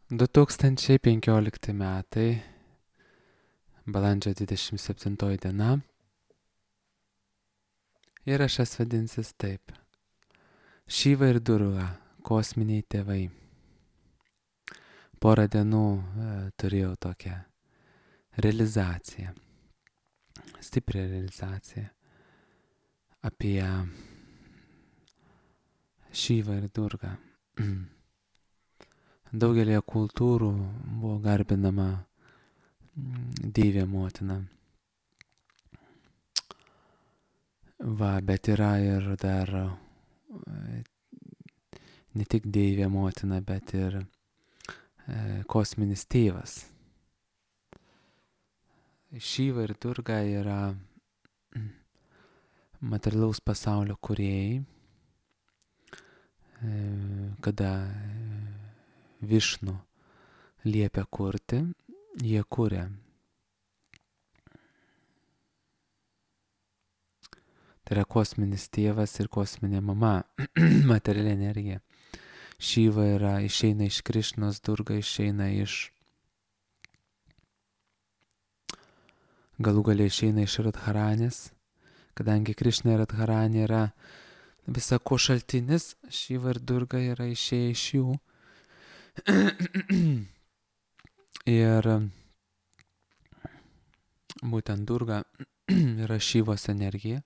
2015 metai, balandžio 27 diena. Įrašas vadinsis taip. Šiva ir Durga - kosminiai tėvai. Porą dienų turėjau tokią realizaciją, stiprią realizaciją apie Šivą ir Durgą. Daugelėje kultūrų buvo garbinama Deivė motina. Va, bet yra ir dar ne tik Deivė motina, bet ir kosminis tėvas. Šiva ir Durga yra materialaus pasaulio kūrėjai. Kada Višnu liepia kurti, jie kuria. Tai yra kosminis tėvas ir kosminė mama, materiali energija. Šiva išeina iš Krišnos, Durga išeina galų gale išeina iš Radharanės. Kadangi Krišna ir Radharanė yra visa ko šaltinis, Šiva ir Durga yra išėję iš jų. Ir būtent Durga yra Šivos energija.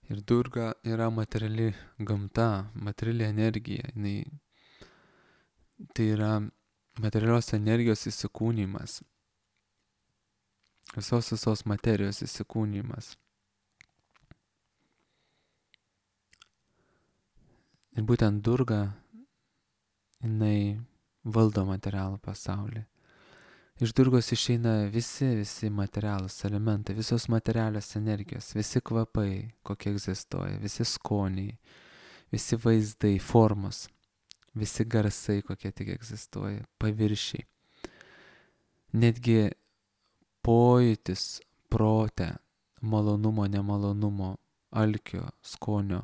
Ir Durga yra materiali gamta, materiali energija. Tai yra materialios energijos įsikūnymas. Visos materijos įsikūnymas. Ir būtent Durga, jinai valdo materialų pasaulį. Iš Durgos išeina visi materialūs elementai, visos materialios energijos, visi kvapai, kokie egzistuoja, visi skoniai, visi vaizdai, formos, visi garsai, kokie tik egzistuoja, paviršiai. Netgi pojūtis prote, malonumo, nemalonumo, alkio, skonio,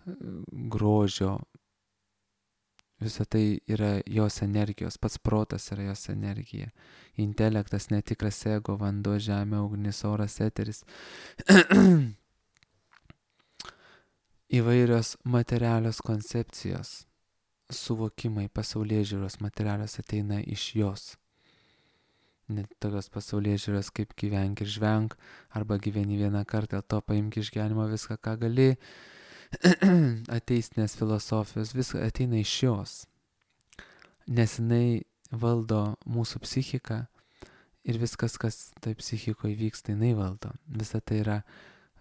grožio, visa tai yra jos energijos, pats protas yra jos energija. Intelektas, netikras ego, vanduo, žemė, ugnis, oras, eteris. Įvairios materialios koncepcijos, suvokimai, pasaulėžiūros materialios ateina iš jos. Net tokios pasaulėžiūros kaip gyvenk ir žvenk, arba gyveni vieną kartą, dėl to paimk iš gyvenimo viską, ką gali. Ateistinės filosofijos, viskas ateina iš jos, nes jinai valdo mūsų psichiką ir viskas, kas tai psichikoje vyksta, jinai valdo. Visa tai yra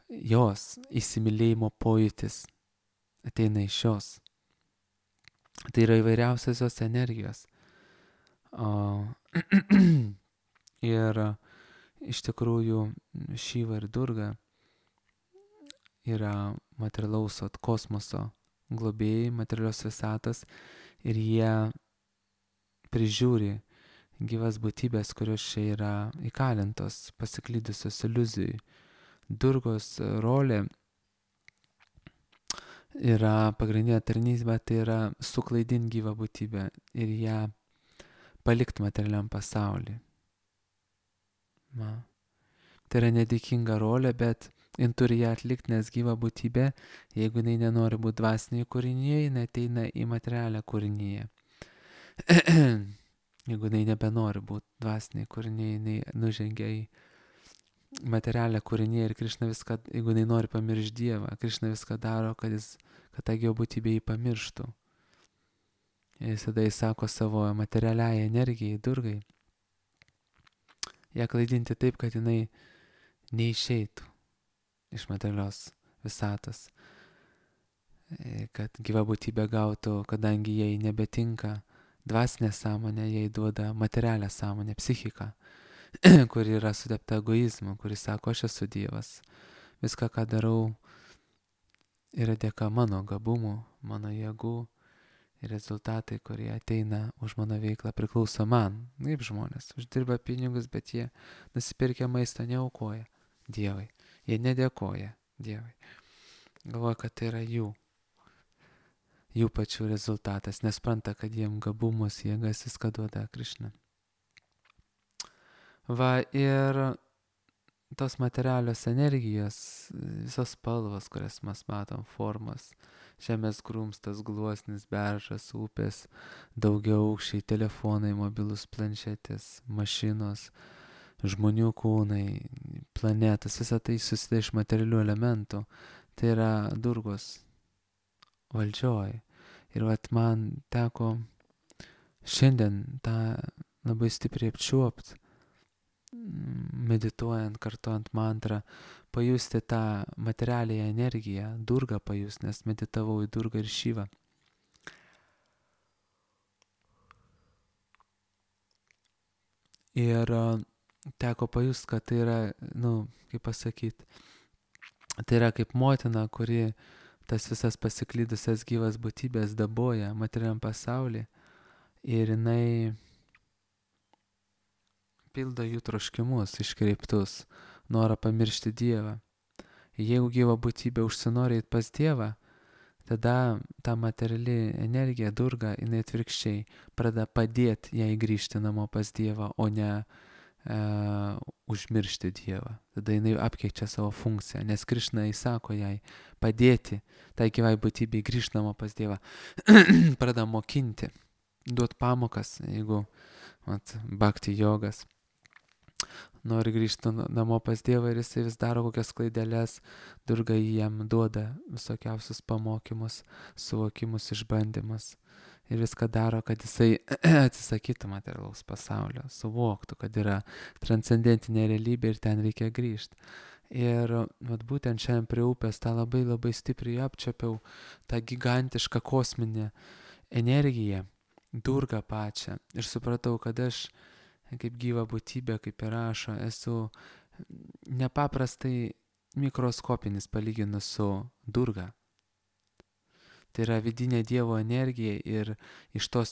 jos įsimylėjimo pojūtis, ateina iš jos. Tai yra įvairiausios jos energijos. Ir iš tikrųjų Šiva ir Durga yra materialaus kosmoso globėjai, materialios visatos, ir jie prižiūri gyvas būtybės, kurios čia yra įkalintos, pasiklydusios iliuzijai. Durgos rolė yra pagrindinė tarnystė, tai yra suklaidinti gyvą būtybę ir ją palikti materialiam pasauliui. Tai yra nedėkinga rolė, bet jin turi ją atlikti, nes gyva būtybė, jeigu jinai nenori būti dvasinėje kūrinyje, jinai ateina į materialią kūrinyje. Jeigu jinai nebenori būti dvasinėje kūrinyje, jinai nužengia į materialią kūrinyje ir Krišna viską, jeigu jinai nori pamiršti Dievą, Krišna viską daro, kad ta gyva būtybė jį pamirštų. Ir tada jis sako savo materialiai energijai, Durgai, ją klaidinti taip, kad jinai neišeitų iš materialios visatos, kad gyva būtybė gautų, kadangi jai nebetinka dvasinė sąmonė, jai duoda materialią sąmonę, psichiką, kuri yra sudėpta egoizmu, kuri sako, aš esu Dievas, viską, ką darau, yra dėka mano gabumų, mano jėgų, ir rezultatai, kurie ateina už mano veiklą, priklauso man. Kaip žmonės uždirba pinigus, bet jie nusipirkę maistą neaukoja Dievui. Jie nedėkoja Dievui. Galvoja, kad tai yra jų. jų pačių rezultatas, nespranta, kad jiem gabumus, jėgas viską duoda Krišna. Va, ir tos materialios energijos, visos spalvos, kurias mes matom, formos, žemės grumstas, gluosnis, beržas, upės, daugiaaukščiai telefonai, mobilus planšetės, mašinos, žmonių kūnai, planetas, visa tai susideda iš materialių elementų. Tai yra Durgos valdžioj. Ir vat man teko šiandien tą labai stipriai apčiuopt, medituojant, kartuojant mantrą, pajusti tą materialią energiją, Durgą pajust, nes meditavau į Durgą ir Šyvą. Ir teko pajust, kad tai yra, kaip pasakyti, tai yra kaip motina, kuri tas visas pasiklydusias gyvas būtybės daboja materialiam pasaulyje ir jinai pildo jų troškimus iškreiptus, norą pamiršti Dievą. Jeigu gyva būtybė užsinori eit pas Dievą, tada ta materiali energija, Durga, jinai atvirkščiai pradeda padėti jai grįžti namo pas Dievą, o ne užmiršti Dievą. Tada jinai apkeičia savo funkciją, nes Krišna įsako jai padėti tai gyvai būtybei grįžti namo pas Dievą. Pradeda mokinti, duot pamokas, jeigu bhakti jogas nori grįžti namo pas Dievą ir jisai vis daro kokias klaideles, Durga jam duoda visokiausius pamokymus, suvokimus, išbandymus. Ir viską daro, kad jisai atsisakytų materialaus pasaulio, suvoktų, kad yra transcendentinė realybė ir ten reikia grįžti. Ir būtent šiandien prie upės tą labai labai stipriai apčiapiau, tą gigantišką kosminę energiją, Durgą pačią. Ir supratau, kad aš kaip gyva būtybė, kaip ir rašo, esu nepaprastai mikroskopinis palyginus su Durga. Tai yra vidinė Dievo energija ir iš tos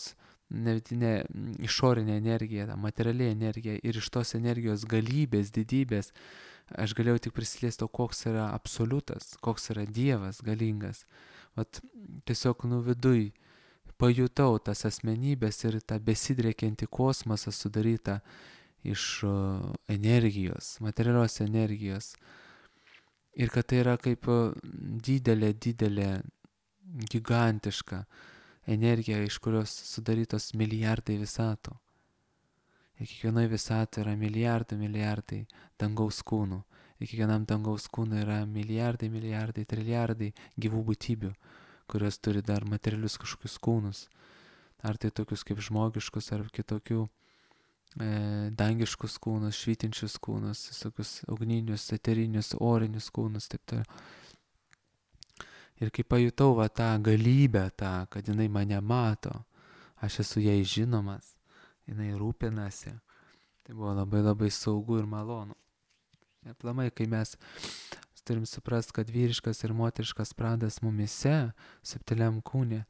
vidinė išorinė energija, ta materiali energija ir iš tos energijos galybės, didybės aš galėjau tik prisiliesti, koks yra absoliutas, koks yra Dievas galingas. Tiesiog viduj pajutau tas asmenybės ir tą besidriekiantį kosmosą sudarytą iš energijos, materialios energijos. Ir kad tai yra kaip didelė gigantiška energija, iš kurios sudarytos milijardai visatų. Ir kiekvienoje visatoje yra milijardai dangaus kūnų. Ir kiekvienam dangaus kūnui yra milijardai, trilijardai gyvų būtybių, kurios turi dar materialius kažkokius kūnus. Ar tai tokius kaip žmogiškus, ar kitokių dangiškus kūnus, švytinčius kūnus, visokius ugninius, eterinius, orinius kūnus, taip toliau. Ir kai pajutau tą galybę, kad jinai mane mato, aš esu jai žinomas, jinai rūpinasi, tai buvo labai labai saugu ir malonu. Aplamai, kai mes turim suprast, kad vyriškas ir moteriškas pradas mumise, subtiliam kūne,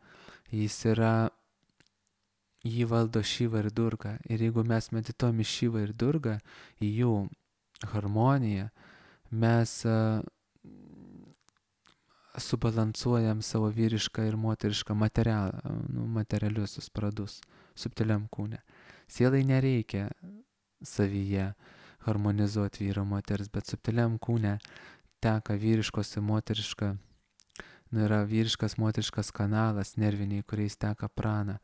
jį valdo Šiva ir Durga. Ir jeigu mes medituojam į Šivą ir Durgą, į jų harmoniją, mes subalansuojam savo vyrišką ir moterišką materialiusius pradus subtiliam kūne. Sielai nereikia savyje harmonizuoti vyro moters, bet subtiliam kūne teka vyriškos ir moteriška, yra vyriškas moteriškas kanalas nerviniai, kuriais teka prana.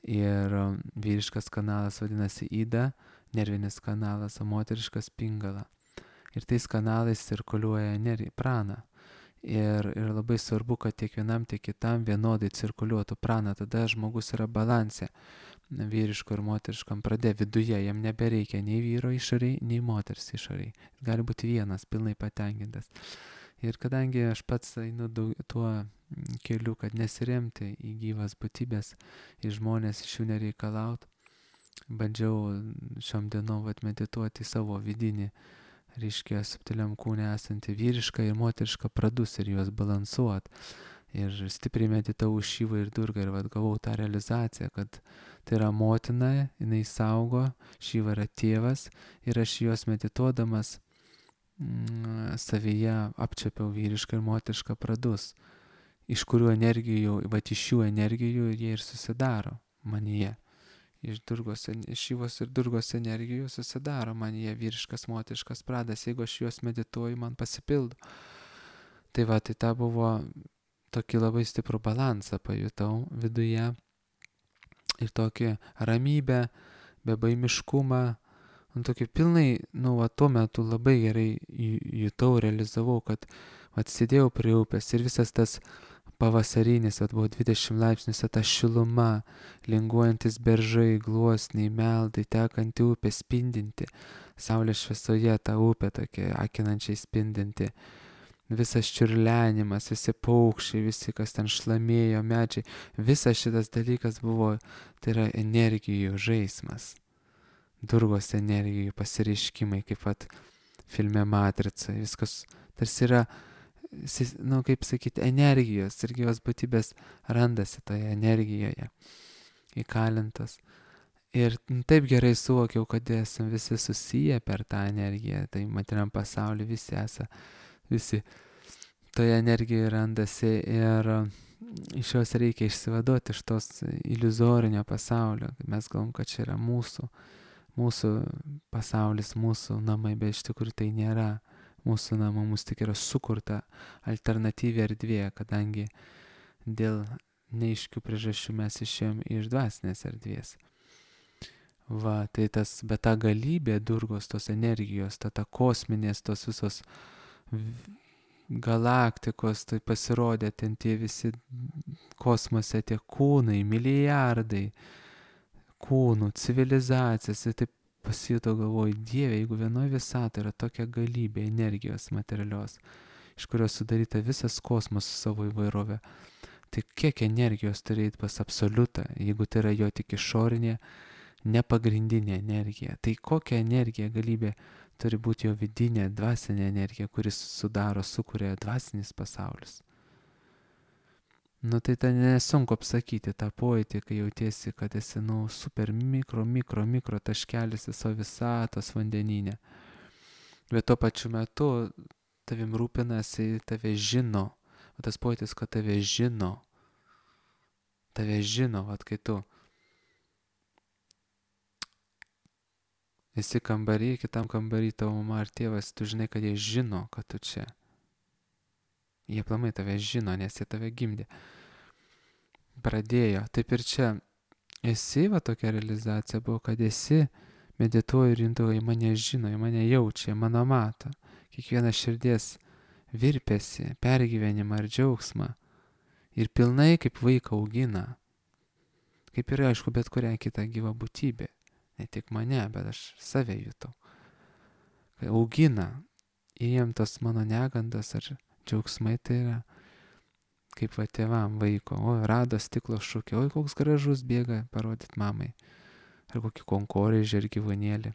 Ir vyriškas kanalas vadinasi Ida, nervinis kanalas, o moteriškas Pingala. Ir tais kanalais cirkuliuoja prana. Ir labai svarbu, kad tiek vienam, tiek kitam vienodai cirkuliuotų prana. Tada žmogus yra balanse vyriško ir moteriškam prade viduje. Jam nebereikia nei vyro išoriai, nei moters išoriai. Gali būti vienas, pilnai patenkintas. Ir kadangi aš pats einu tuo keliu, kad nesiremti į gyvas būtybės, į žmonės, iš jų nereikalaut, bandžiau šiom dienom medituoti savo vidinį, reiškia, subtiliam kūne esantį vyrišką ir moterišką pradus ir juos balansuot. Ir stipriai meditavau Šivą ir Durgą ir gavau tą realizaciją, kad tai yra motina, jinai saugo, Šiva yra tėvas ir aš juos medituodamas savyje apčiapiau vyrišką ir moterišką pradus. iš kurių energijų, vat iš šių energijų jie ir susidaro manyje. Iš Šivos ir Durgos energijų susidaro manyje vyriškas, moteriškas pradas. Jeigu aš juos medituoju, man pasipildo. Tai va, tai ta buvo tokį labai stiprų balansą pajutau viduje. Ir tokį ramybę, bebaimiškumą. Tokį pilnai, tuo metu labai gerai jutau, realizavau, kad sėdėjau prie upės ir visas tas pavasarinis, buvo 20 laipsnius, ta šiluma, linguojantis beržai, gluosniai, meldai, tekanti upė, spindinti, saulės šviesoje ta upė tokia akinančiai spindinti, visas čiurlenimas, visi paukščiai, visi, kas ten šlamėjo, medžiai, visas šitas dalykas buvo, tai yra energijų žaismas, Durgos energijų pasireiškimai, kaip pat filme Matrica, viskas tarsi yra, kaip sakyti, energijos ir gyvos būtybės randasi toje energijoje įkalintos. Ir taip gerai suvokiau, kad esame visi susiję per tą energiją, tai materiam pasaulyje visi toje energijoje randasi ir iš jos reikia išsivaduoti iš tos iliuzorinio pasaulio. Mes galvom, kad čia yra mūsų pasaulis, mūsų namai, bet iš tikrųjų tai nėra mūsų namų, mūsų tik yra sukurta alternatyvi erdvė, kadangi dėl neaiškių priežasčių mes išėjom iš dvasinės erdvės. Va, tai bet ta galybė Durgos, tos energijos, ta kosminės, tos visos galaktikos, tai pasirodė ten tie visi kosmose, tie kūnai, milijardai kūnų, civilizacijas, ir taip pasijutau, galvoju, Dieve, jeigu vienoje visatoje yra tokia galybė energijos materialios, iš kurios sudaryta visas kosmosas su savo įvairovė, tai kiek energijos turi eiti pas absoliutą, jeigu tai yra jo tik išorinė, nepagrindinė energija. Tai kokia energija, galybė turi būti jo vidinė, dvasinė energija, kuris sukuria dvasinis pasaulis. Tai nesunku apsakyti tą pojūtį, kai jautiesi, kad esi, super mikro taškelis viso visatos vandenyne. Bet tuo pačiu metu tavim rūpinasi, tave žino. Tas pojūtis, kad tave žino, kai tu esi kambarį, kitam kambarį tavo mama ar tėvas, tu žinai, kad jie žino, kad tu čia. Jie aplamai tave žino, nes jie tave gimdė. Pradėjo. Taip ir čia esi, tokia realizacija buvo, kad esi, medituoji ir intuoji, mane žino, mane jaučia, mano mato. Kiekviena širdies virpesi, pergyvenimą ir džiaugsmą. Ir pilnai kaip vaiką augina. Kaip ir aišku, bet kurią kitą gyvą būtybę. Ne tik mane, bet aš save jutau. Kai augina, jiem tos mano negandas ar džiaugsmai, tai yra kaip tėvam vaiko. Rado stiklo šūkį, koks gražus, bėga parodyt mamai. Ar kokį konkorėžį ar gyvūnėlį.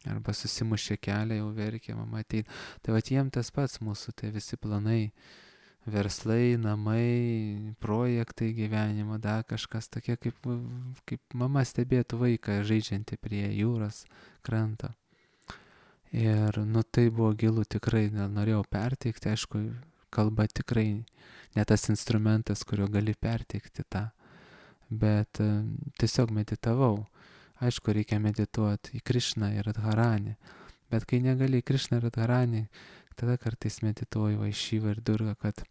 Arba susimušė kelią, jau verkė, mama ateina. Tai jiem tas pats mūsų, tai visi planai, verslai, namai, projektai gyvenimo, dar kažkas tokie, kaip mama stebėtų vaiką žaidžiantį prie jūros kranto. Ir tai buvo gilu tikrai, norėjau perteikti, aišku, kalba tikrai ne tas instrumentas, kurio gali perteikti tą, bet tiesiog meditavau. Aišku, reikia medituoti į Krišną ir Radharanį, bet kai negali į Krišną ir Radharanį, tada kartais medituoju į Šivą ir Durgą, kad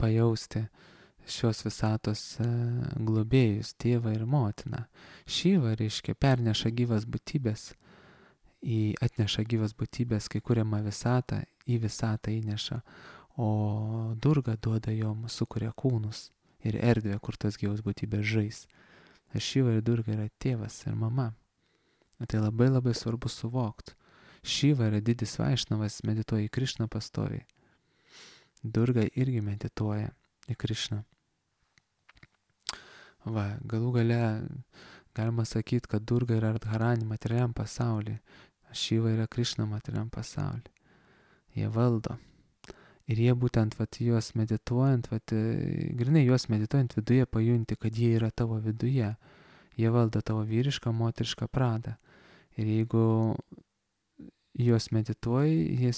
pajausti šios visatos globėjus, tėvą ir motiną. Šiva, reiškia, perneša gyvas būtybės, atneša gyvas būtybės, kai kuriama visatą, į visatą įneša, o Durga duoda jom, sukuria kūnus ir erdvę, kur tas gyvas būtybės žais. Šiva ir Durga yra tėvas ir mama. Tai labai labai svarbu suvokti. Šiva yra didis Vaišnavas, medituoja į Krišną pastoviai. Durga irgi medituoja į Krišną. Galų gale galima sakyti, kad Durga yra Radharani materialiam pasaulyje, Šiva yra Krišna materialiam pasaulyje. Jie valdo. Ir jie būtent juos medituojant, grinai juos medituojant viduje pajunti, kad jie yra tavo viduje. Jie valdo tavo vyrišką, moterišką pradą. Ir jeigu juos medituoji,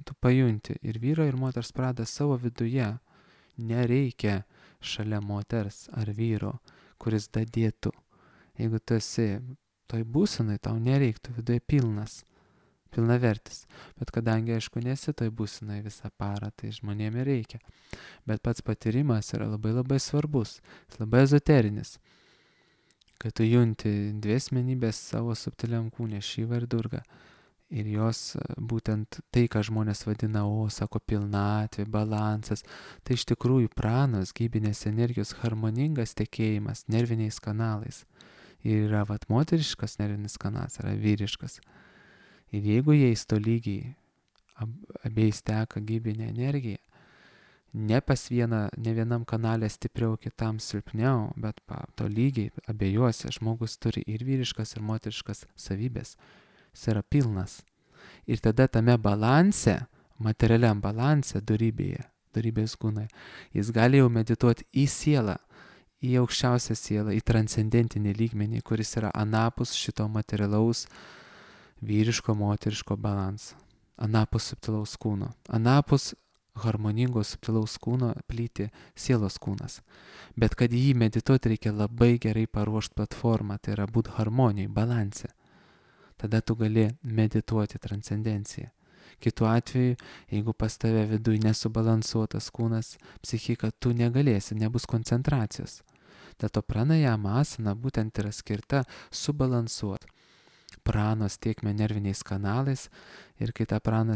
tu pajunti. Ir vyro ir moters pradą savo viduje. Nereikia šalia moters ar vyro, kuris dadėtų. Jeigu tu esi toj būsenai, tau nereiktų viduje pilnavertis. Bet kadangi, aišku, nesi toj būsenai visą parą, tai žmonėm ir reikia. Bet pats patyrimas yra labai labai svarbus, jis labai ezoterinis. Kad tu junti dvi asmenybės savo subtiliam kūne, Šivą ir Durgą. Ir jos būtent tai, ką žmonės vadina, sako, pilnatvė, balansas, tai iš tikrųjų pranos, gyvybinės energijos harmoningas tekėjimas nerviniais kanalais. Ir yra moteriškas nervinis kanalas, yra vyriškas. Ir jeigu jais tolygiai abiejais teka gyvybinė energija, ne vienam kanale stipriau, kitam silpniau, bet tolygiai abiejuose žmogus turi ir vyriškas, ir moteriškas savybės. Jis yra pilnas. Ir tada tame balanse, materialiam balanse, dorybės kūnai, jis gali jau medituoti į sielą, į aukščiausią sielą, į transcendentinį lygmenį, kuris yra anapus šito materialaus vyriško, moteriško balanso, anapus subtilaus kūno, anapus harmoningos subtilaus kūno plyti sielos kūnas. Bet kad jį medituoti reikia labai gerai paruošti platformą, tai yra būti harmonijai, balanse. Tada tu gali medituoti transcendenciją. Kitu atveju, jeigu pas tave viduj nesubalansuotas kūnas, psichika, tu negalėsi, nebus koncentracijos. Dėl to pranajama asana būtent yra skirta subalansuoti pranos tiekmę nerviniais kanalais ir kai ta prana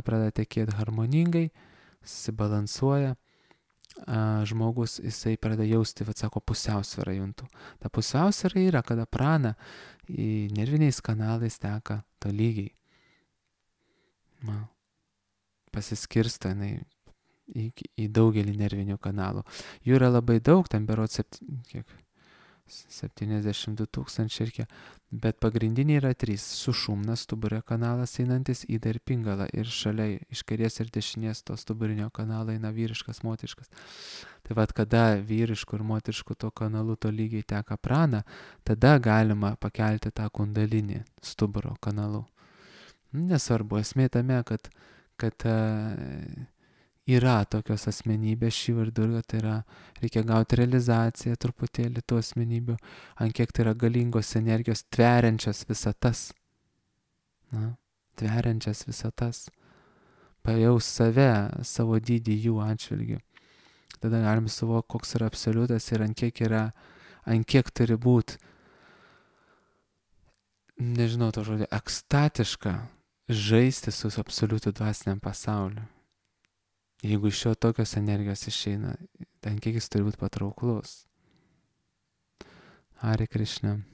pradeda tekėti harmoningai, susibalansuoja, žmogus, jisai pradeda jausti, sako, pusiausvyrą juntų. Ta pusiausvyra yra, kada prana į nerviniais kanalais teka tolygiai. Pasiskirsto jinai į daugelį nervinių kanalų. Jų yra labai daug, ten berods 72 000 ir kiek, bet pagrindiniai yra 3. Sušumna stuburio kanalas einantis, Ida ir Pingala, ir šalia iš kairės ir dešinės to stuburinio kanalo eina vyriškas, moteriškas. Tai kada vyriškų ir moteriškų to kanalu tolygiai teka prana, tada galima pakelti tą kundalinį stuburo kanalu. Nesvarbu, esmė tame, kad yra tokios asmenybės, Šiva ir Durga, tai yra, reikia gauti realizaciją truputėlį tų asmenybių, ant kiek tai yra galingos energijos tveriančias visatas. Tveriančias visatas. Pajaus save, savo dydį jų atžvilgiu. Tada galim suvokti, koks yra absoliutas ir ant kiek turi būti, nežinau to žodį, ekstatiška žaisti su absoliutu dvasiniam pasauliu. Jeigu iš jo tokios energijos išeina, ant kiek jis turi būti patrauklus. Hare Krishna.